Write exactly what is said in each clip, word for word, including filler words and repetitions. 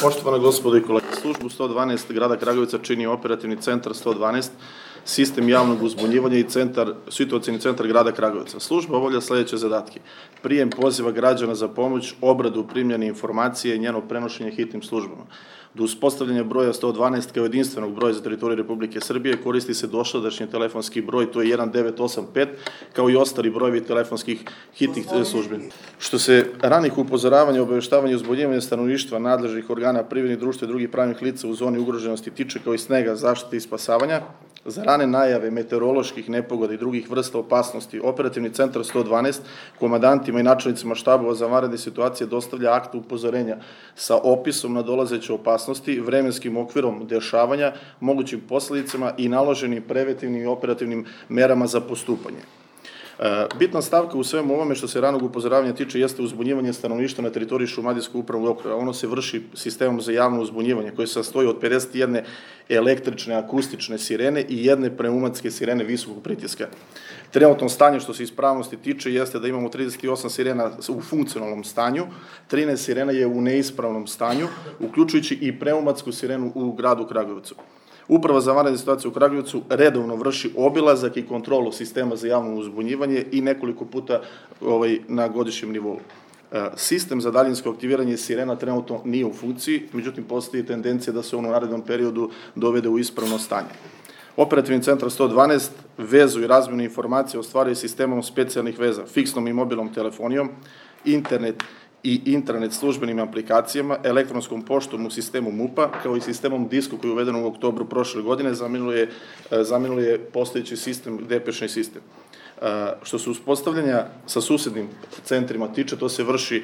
Poštovana gospodo i kolege, službu sto dvanaest grada Kragujevca čini operativni centar sto dvanaest, sistem javnog uzbunjivanja i centar, situacioni centar grada Kragujevca. Služba obavlja sledeće zadatke: prijem poziva građana za pomoć, obradu primljene informacije i njeno prenošenje hitnim službama. Do uspostavljanja broja sto dvanaest kao jedinstvenog broja za teritoriju Republike Srbije koristi se dosadašnji telefonski broj, to je jedan devet osam pet, kao i ostali brojevi telefonskih hitnih službi. Što se ranih upozoravanja, obaveštavanja i uzbunjivanja stanovništva, nadležnih organa, privrednih društva i drugih pravnih lica u zoni ugroženosti tiče, kao i snega, zaštite i spasavanja, za rane najave meteoroloških nepogoda i drugih vrsta opasnosti, operativni centar sto dvanaest komandantima i načelnicima štabova za vanredne situacije dostavlja akt upozorenja sa opisom nadolazeće opasnosti, vremenskim okvirom dešavanja, mogućim posledicama i naloženim preventivnim i operativnim merama za postupanje. Bitna stavka u svemu ovome što se ranog upozoravanja tiče jeste uzbunjivanje stanovništva na teritoriji Šumadijskog upravnog okruga. Ono se vrši sistemom za javno uzbunjivanje koje se sastoji od pedeset jedne električne akustične sirene i jedne pneumatske sirene visokog pritiska. Trenutno stanje što se ispravnosti tiče jeste da imamo trideset osam sirena u funkcionalnom stanju, trinaest sirena je u neispravnom stanju, uključujući i pneumatsku sirenu u gradu Kragujevcu. Uprava za vanredne situacije u Kragujevcu redovno vrši obilazak i kontrolu sistema za javno uzbunjivanje i nekoliko puta ovaj, na godišnjem nivou. Sistem za daljinsko aktiviranje sirena trenutno nije u funkciji, međutim postoji tendencija da se on u narednom periodu dovede u ispravno stanje. Operativni centar sto dvanaest vezu i razmjenu informacije ostvaruje sistemom specijalnih veza, fiksnom i mobilnom telefonijom, internet i intranet službenim aplikacijama, elektronskom poštom u sistemu MUP-a, kao i sistemom disko koji je uveden u oktobru prošle godine, zamenilo je postojeći sistem, depešni sistem. Što se uspostavljanja sa susednim centrima tiče, to se vrši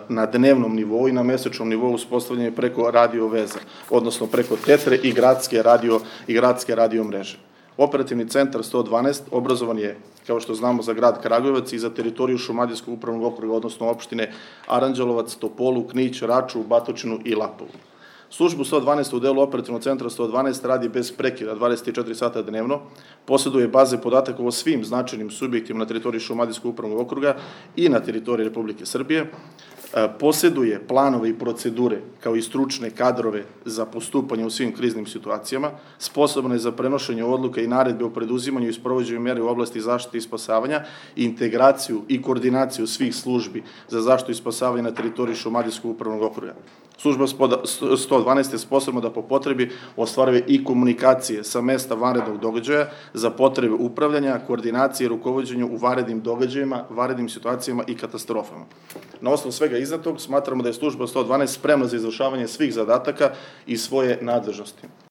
na dnevnom nivou i na mesečnom nivou uspostavljanje preko radio veza, odnosno preko tetre i gradske radio, i gradske radio mreže. Operativni centar sto dvanaest obrazovan je, kao što znamo, za grad Kragujevac i za teritoriju Šumadijskog upravnog okruga, odnosno opštine Aranđelovac, Topolu, Knić, Raču, Batočinu i Lapovu. Službu sto dvanaest u delu operativnog centra sto dvanaest radi bez prekida dvadeset četiri sata dnevno, posjeduje baze podataka o svim značajnim subjektima na teritoriji Šumadijskog upravnog okruga i na teritoriji Republike Srbije, posjeduje planove i procedure kao i stručne kadrove za postupanje u svim kriznim situacijama, sposobna je za prenošenje odluka i naredbe o preduzimanju i sprovođenju mere u oblasti zaštite i spasavanja, integraciju i koordinaciju svih službi za zaštitu i spasavanje na teritoriji Šumadijskog upravnog okruga. Služba sto dvanaest je sposobna da po potrebi ostvaruje i komunikacije sa mesta vanrednog događaja za potrebe upravljanja, koordinacije i rukovođenja u vanrednim događajima, vanrednim situacijama i katastrofama. Na osnovu svega iznetog smatramo da je služba sto dvanaest spremna za izvršavanje svih zadataka i svoje nadležnosti.